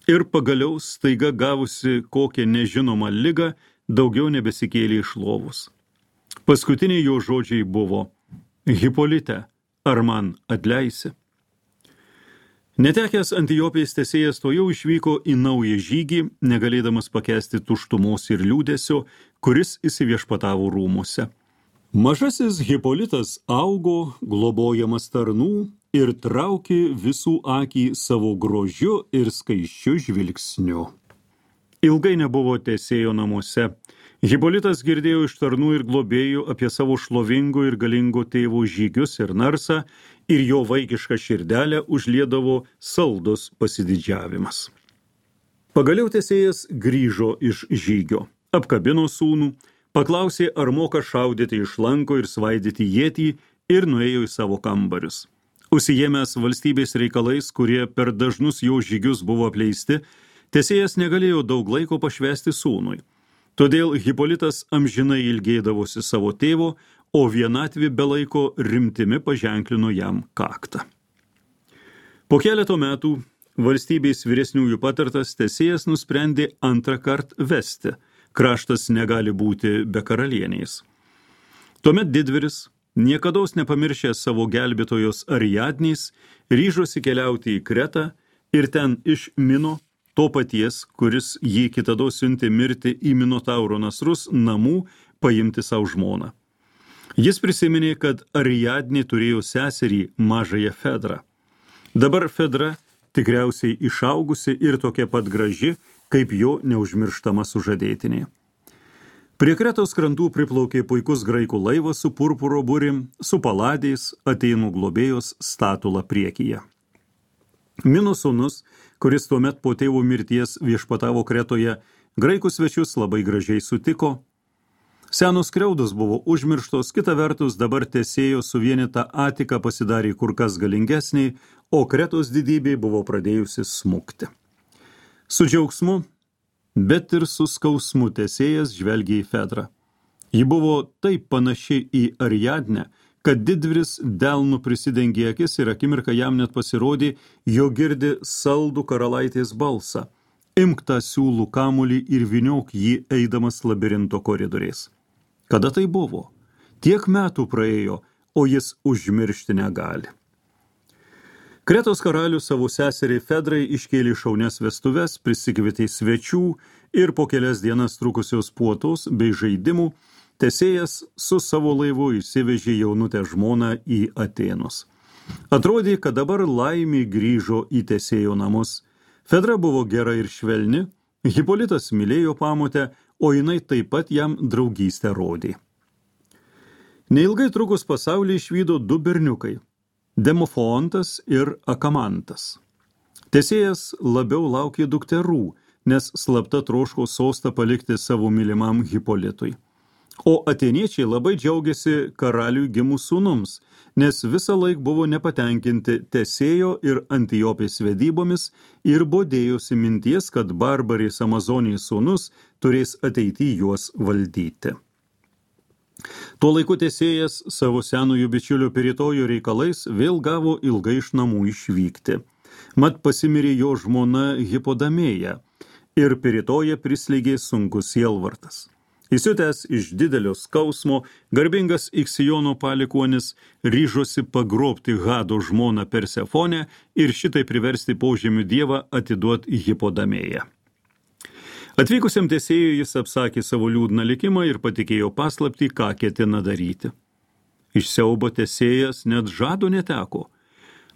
ir pagaliau staiga gavusi kokią nežinomą ligą, daugiau nebesikėlė iš lovos. Paskutiniai jo žodžiai buvo: Hipolite, ar man atleisi? Netekęs Antijopės Tesėjas tojau išvyko į naują žygį, negalėdamas pakęsti tuštumos ir liūdesio, kuris įsiviešpatavo rūmuose. Mažasis Hipolitas augo, globojamas tarnų, ir traukė visų akį savo grožiu ir skaisčiu žvilgsniu. Ilgai nebuvo Tesėjo namuose. Hipolitas girdėjo iš tarnų ir globėjų apie savo šlovingo ir galingo tėvo žygius ir narsą, ir jo vaikišką širdelę užliedavo saldus pasididžiavimas. Pagaliau Tesėjas grįžo iš žygio, apkabino sūnų, paklausė, ar moka šaudyti iš lanko ir svaidyti ietį, ir nuėjo į savo kambarius. Užsiėmęs valstybės reikalais, kurie per dažnus jo žygius buvo apleisti, Tesėjas negalėjo daug laiko pašvęsti sūnui. Todėl Hipolitas amžinai ilgėdavosi savo tėvo, o vienatvė be laiko rimtimi paženklino jam kaktą. Po keleto metų valstybės vyresniųjų patartas Tesėjas nusprendė antrą kartą vesti. Kraštas negali būti be karalienės. Tuomet didvyris, niekados nepamiršęs savo gelbėtojos Ariadnės, ryžosi keliauti į Kretą ir ten iš Mino, to paties, kuris jį kitados siuntė mirti į Minotauro nasrus, namų paimti savo žmoną. Jis prisiminė, kad Ariadnė turėjo seserį mažąją Fedrą. Dabar Fedra tikriausiai išaugusi ir tokia pat graži, kaip jo neužmirštama sužadėtinė. Prie Kretos krantų priplaukė puikus graikų laivas su purpuro burim, su paladės, Atėnų globėjos statula priekyje. Mino sūnus, kuris tuomet po tėvo mirties viešpatavo Kretoje, graikų svečius labai gražiai sutiko. Senos skriaudos buvo užmirštos, kita vertus dabar Tesėjo suvienyta Atika pasidarė kur kas galingesnė, o Kretos didybė buvo pradėjusi smukti. Su džiaugsmu, bet ir su skausmu Tesėjas žvelgė į Fedrą. Ji buvo taip panaši į Ariadnę, kad didvyris delnu prisidengė akis ir akimirką jam net pasirodė, jo girdi saldų karalaitės balsą. Imk tą siūlų kamuolį ir vyniok jį eidamas labirinto koridoriais. Kada tai buvo? Tiek metų praėjo, o jis užmiršti negali. Kretos karalius savo seseriai Fedrai iškėlė šaunias vestuves, prisikvietė svečių ir po kelias dienas trukusios puotos bei žaidimų Tesėjas su savo laivu išsivežė jaunutę žmoną į Atėnus. Atrodė, kad dabar laimė grįžo į Tesėjo namus. Fedra buvo gera ir švelni, Hipolitas mylėjo pamotę, o jinai taip pat jam draugystę rodė. Neilgai trukus pasaulį išvydo du berniukai – Demofontas ir Akamantas. Tesėjas labiau laukė dukterų, nes slapta troško sostą palikti savo mylimam Hipolitui. O atėniečiai labai džiaugiasi karaliui gimus sūnums, nes visą laik buvo nepatenkinti Tesėjo ir Antijopės vedybomis ir bodėjosi minties, kad barbarės Amazonijos sūnus turės ateity juos valdyti. Tuo laiku Tesėjas savo senųjų bičiulio Piritojo reikalais vėl gavo ilgai iš namų išvykti. Mat pasimirė jo žmona Hipodamėja ir Piritoje prislėgė sunkus sielvartas. Įsiutęs iš didelio skausmo, garbingas Iksijono palikuonis ryžosi pagrobti Hado žmoną Persefonę ir šitai priversti požemių dievą atiduoti Hipodamėją. Atvykusiam Tesėjui jis apsakė savo liūdną likimą ir patikėjo paslaptį, ką ketina daryti. Iš siaubo Tesėjas net žado neteko.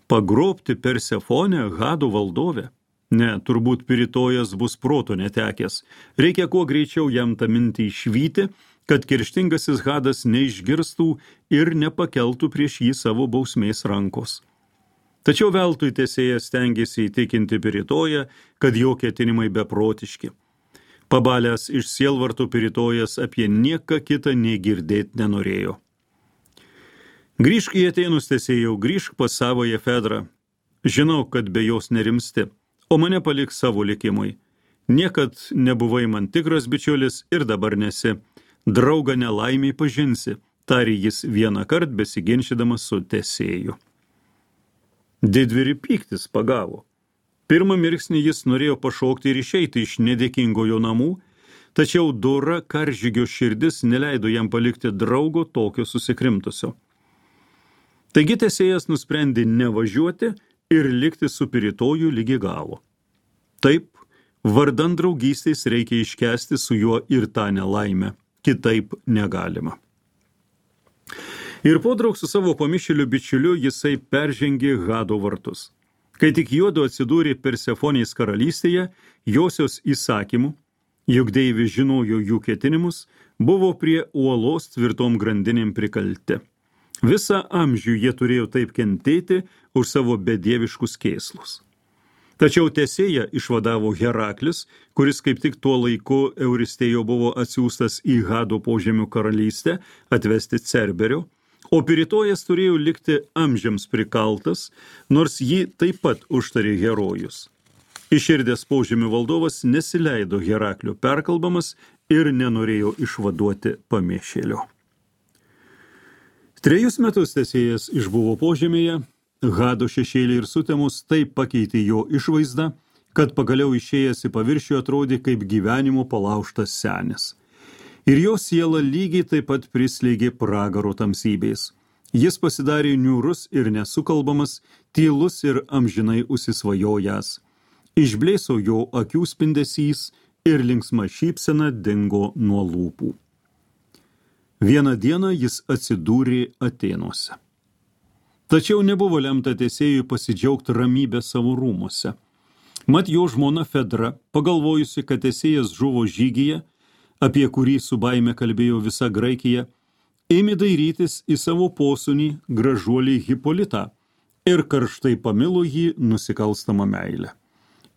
Pagrobti Persefonę, Hado valdovę? Ne, turbūt Piritojas bus proto netekęs. Reikia kuo greičiau jam tą mintį išvyti, kad kerštingasis Hadas neišgirstų ir nepakeltų prieš jį savo bausmės rankos. Tačiau veltui Tesėjas stengėsi įtikinti Piritoją, kad jo ketinimai beprotiški. Pabalęs iš sielvarto Piritojas apie nieką kitą nei girdėt nenorėjo. Grįžk į Atėnus, Tesėjau, grįžk pas savoje Fedrą. Žinau, kad be jos nerimsti, o mane palik savo likimui. Niekad nebuvai man tikras bičiulis ir dabar nesi. draugą nelaimiai pažinsi, tarė jis vieną kart besiginčydamas su Tesėju. Didvyrį pyktis pagavo. Pirmą mirksnį jis norėjo pašokti ir išeiti iš nedėkingojo namų, tačiau dora karžygio širdis neleido jam palikti draugo tokio susikrimtusio. Taigi Tesėjas nusprendė nevažiuoti ir likti su Piritoju lygi galo. Taip, vardan draugystės reikia iškęsti su juo ir tą nelaimę, kitaip negalima. Ir podraug su savo pamišėliu bičiuliu jisai peržengė Hado vartus. Kai tik juodu atsidūrė Persefonės karalystėje, josios įsakymų, juk deivis žinojo jų ketinimus, buvo prie uolos tvirtom grandinėm prikalti. Visą amžių jie turėjo taip kentėti už savo bedieviškus kėslus. Tačiau Tesėją išvadavo Heraklis, kuris kaip tik tuo laiku Euristėjo buvo atsiųstas į Hado požemių karalystę atvesti Cerberio, o Piritojas turėjo likti amžiams prikaltas, nors jį taip pat užtarė herojus. Iširdęs požemių valdovas nesileido Heraklio perkalbamas ir nenorėjo išvaduoti pamišėlio. Trejus metus Tesėjas išbuvo požemėje, Hado šešėlį ir sutemus taip pakeitė jo išvaizdą, kad pagaliau išėjęs į paviršių atrodė kaip gyvenimo palaužtas senis. Ir jo siela lygiai taip pat prislėgė pragaro tamsybės. Jis pasidarė niūrus ir nesukalbamas, tylus ir amžinai užsisvajojęs. Išblėso jo akių spindesys ir linksma šypsena dingo nuo lūpų. Vieną dieną jis atsidūrė Atėnuose. Tačiau nebuvo lemta Tesėjui pasidžiaugti ramybę savo rūmuose. Mat jo žmona Fedra, pagalvojusi, kad Tesėjas žuvo žygyje, apie kurį su baime kalbėjo visa Graikija, ėmė dairytis į savo posūnį gražuolį Hipolitą ir karštai pamilo jį nusikalstamą meilę.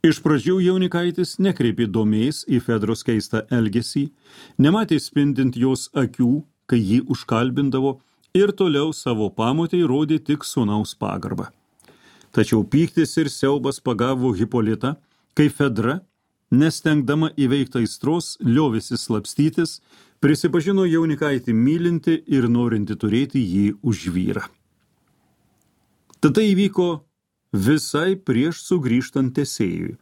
Iš pradžių jaunikaitis nekreipė domės į Fedros keistą elgesį, nematė spindint jos akių, kai jį užkalbindavo, ir toliau savo pamotei rodė tik sūnaus pagarbą. Tačiau pyktis ir siaubas pagavo Hipolitą, kai Fedra, nestengdama įveikti aistros, liovėsi slapstytis, prisipažino jaunikaitį mylinti ir norinti turėti jį už vyrą. Tada įvyko visai prieš sugrįžtant Tesėjui.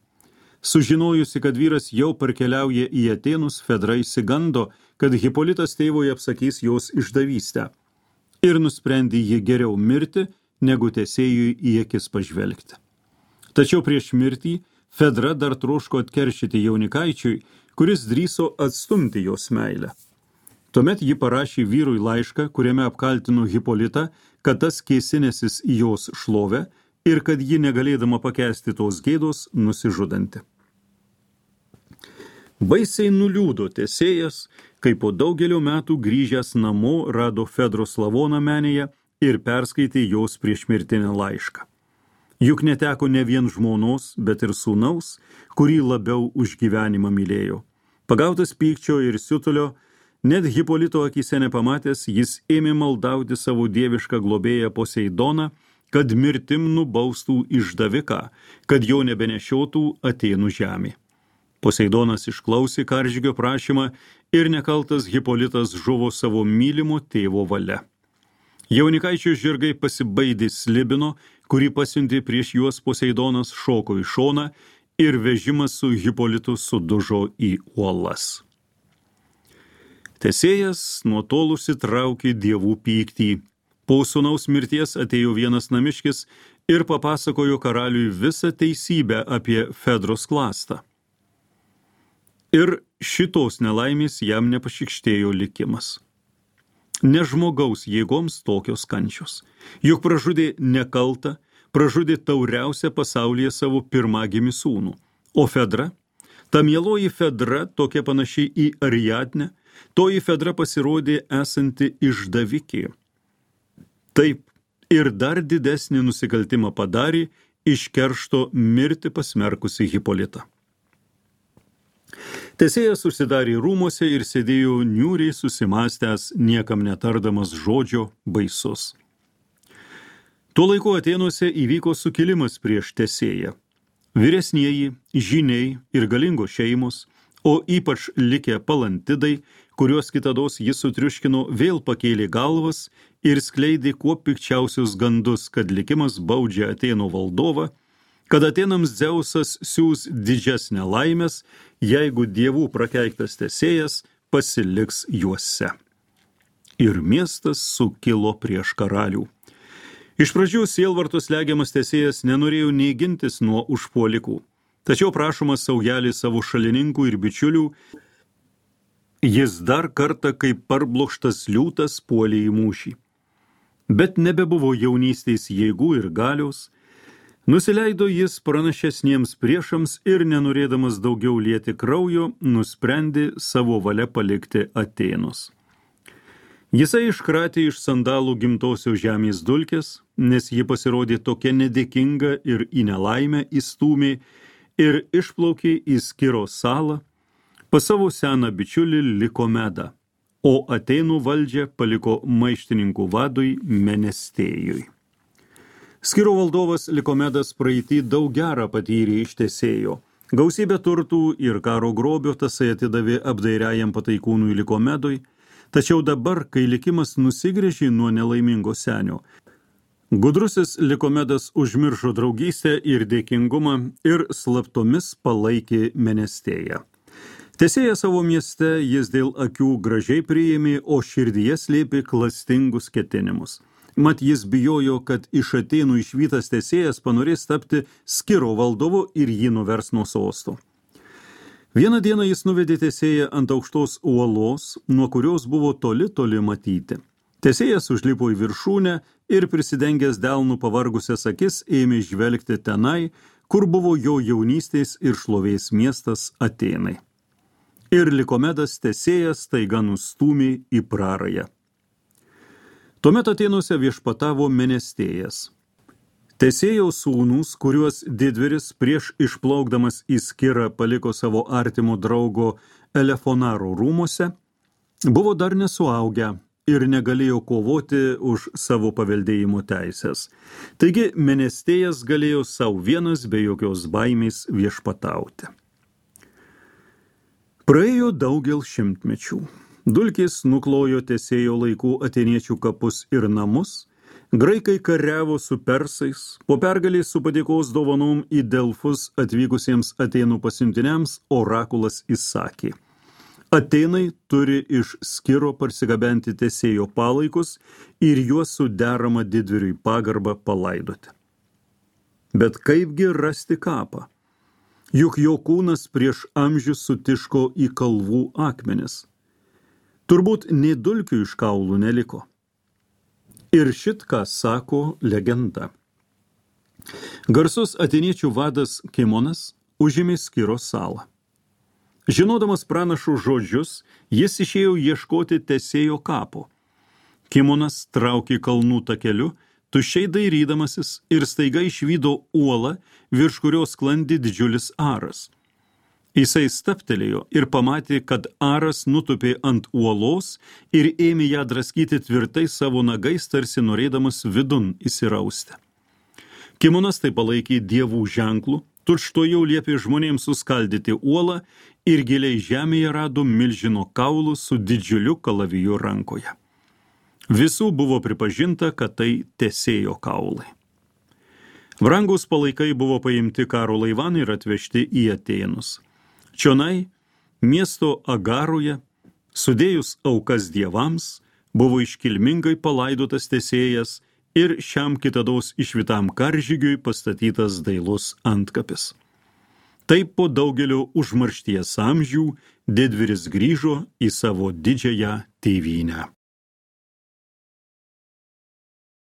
Sužinojusi, kad vyras jau parkeliauja į Atėnus, Fedra išsigando, kad Hipolitas tėvui apsakys jos išdavystę ir nusprendė jį geriau mirti, negu Tesėjui į akis pažvelgti. Tačiau prieš mirtį Fedra dar troško atkeršyti jaunikaičiui, kuris drįso atstumti jos meilę. Tuomet ji parašė vyrui laišką, kuriame apkaltino Hipolitą, kad tas kėsinęsis į jos šlovę ir kad ji negalėdama pakęsti tos gėdos nusižudanti. Baisiai nuliūdo Tesėjas, kai po daugelio metų grįžęs namo rado Fedros lavoną menėje ir perskaitė jos priešmirtinę laišką. Juk neteko ne vien žmonos, bet ir sūnaus, kurį labiau už gyvenimą mylėjo. Pagautas pykčio ir siutulio, net Hipolito akyse nepamatęs, jis ėmė maldauti savo dievišką globėją Poseidoną, kad mirtim nubaustų išdaviką, kad jo nebenešiotų Atėnų žemė. Poseidonas išklausė karžygio prašymą ir nekaltas Hipolitas žuvo savo mylimo tėvo valia. Jaunikaičio žirgai pasibaidė slibino, kurį pasiuntė prieš juos Poseidonas, šoko į šoną ir vežimas su Hipolitu sudužo į uolas. Tesėjas nuo tol užsitraukė dievų pyktį. Po sūnaus mirties atėjo vienas namiškis ir papasakojo karaliui visą teisybę apie Fedros klastą. Ir šitos nelaimės jam nepašikštėjo likimas. Ne žmogaus jėgoms tokios kančios. Juk pražudė nekaltą, pražudė tauriausią pasaulyje savo pirmagimį sūnų. O Fedra, ta mieloji Fedra, tokia panašiai į Ariadnę, toji Fedra pasirodė esanti išdavikė. Taip, ir dar didesnį nusikaltimą padarė iš keršto mirti pasmerkusi Hipolitą. Tesėjas užsidarė rūmuose ir sėdėjo niūriai susimastęs, niekam netardamas žodžio, baisus. Tuo laiku Atėnuose įvyko sukilimas prieš Tesėją. Vyresnieji, žyniai ir galingos šeimos, o ypač likę palantidai, kuriuos kitados jis sutriuškino, vėl pakėlė galvas ir skleidė kuo pikčiausius gandus, kad likimas baudžia Atėnų valdovą, kad Atėnams Dzeusas siūs didžesnę laimės, jeigu dievų prakeiktas Tesėjas pasiliks juose. Ir miestas sukilo prieš karalių. Iš pradžių sielvartos legiamas Tesėjas nenorėjo nei gintis nuo užpuolikų, tačiau prašomas saujelį savo šalininkų ir bičiulių, jis dar kartą kaip parblokštas liūtas puolė į mūšį. Bet nebebuvo jaunystės jėgų ir galios, nusileido jis pranašesniems priešams ir nenorėdamas daugiau lieti kraujo, nusprendė savo valia palikti Atėnus. Jisai iškratė iš sandalų gimtosios žemės dulkės, nes ji pasirodė tokia nedėkinga ir į nelaimę įstūmė ir išplaukė į Skiro salą, pas savo seną bičiulį Likomedą, o Atėnų valdžią paliko maištininkų vadui Menestėjui. Skiro valdovas Likomedas praeitį daug gerą patyrė iš Tesėjo. Gausybę turtų ir karo grobio tasai atidavė apdairiajam pataikūnui Likomedui, tačiau dabar, kai likimas nusigręžė nuo nelaimingo senio, gudrusis Likomedas užmiršo draugystę ir dėkingumą ir slaptomis palaikė Menestėją. Tesėją savo mieste jis dėl akių gražiai priėmė, o širdyje slėpė klastingus ketinimus. Mat jis bijojo, kad iš Atėnų išvytas Tesėjas panorės tapti Skiro valdovu ir jį nuvers nuo sosto. Vieną dieną jis nuvedė Tesėją ant aukštos uolos, nuo kurios buvo toli toli matyti. Tesėjas užlipo į viršūnę ir prisidengęs delnų pavargusias akis ėmė žvelgti tenai, kur buvo jo jaunystės ir šlovės miestas Atėnai. Ir Likomedas Tesėjas staiga nustūmė į prarają. Tuomet Atėnuose viešpatavo Menestėjas. Tesėjaus sūnūs, kuriuos didvyris prieš išplaukdamas į Skirą paliko savo artimo draugo Elefonaro rūmuose, buvo dar nesuaugę ir negalėjo kovoti už savo paveldėjimo teisės. Taigi Menestėjas galėjo savo vienas be jokios baimės viešpatauti. Praėjo daugel šimtmečių. Dulkės nuklojo Tesėjo laikų atėniečių kapus ir namus, graikai kariavo su persais, po pergalės su padėkos dovanom į Delfus atvykusiems Atėnų pasiuntiniams orakulas įsakė: Atėnai turi iš Skiro parsigabenti Tesėjo palaikus ir juos su derama didvyriui pagarba palaidoti. Bet kaipgi rasti kapą? Juk jo kūnas prieš amžius sutiško į kalvų akmenis. Turbūt nei dulkių iš kaulų neliko. Ir šit ką sako legenda. Garsus atėniečių vadas Kimonas užėmė Skiro salą. Žinodamas pranašų žodžius, jis išėjo ieškoti Tesėjo kapo. Kimonas traukė kalnų takeliu, tuščiai dairydamasis ir staiga išvydo uolą, virš kurios sklandė didžiulis aras. Jisai staptelėjo ir pamatė, kad aras nutupė ant uolos ir ėmė ją draskyti tvirtai savo nagais, tarsi norėdamas vidun įsirausti. Kimonas tai palaikė dievų ženklų, tučtuojau liepė žmonėms suskaldyti uolą ir giliai žemėje rado milžino kaulų su didžiuliu kalaviju rankoje. Visų buvo pripažinta, kad tai Tesėjo kaulai. Brangus palaikai buvo paimti karo laivan ir atvežti į Atėnus. Čionai, miesto Agaroje, sudėjus aukas dievams, buvo iškilmingai palaidotas Tesėjas ir šiam kitados išvytam karžygiui pastatytas dailus antkapis. Taip po daugelio užmaršties amžių didvyris grįžo į savo didžiąją tėvynę.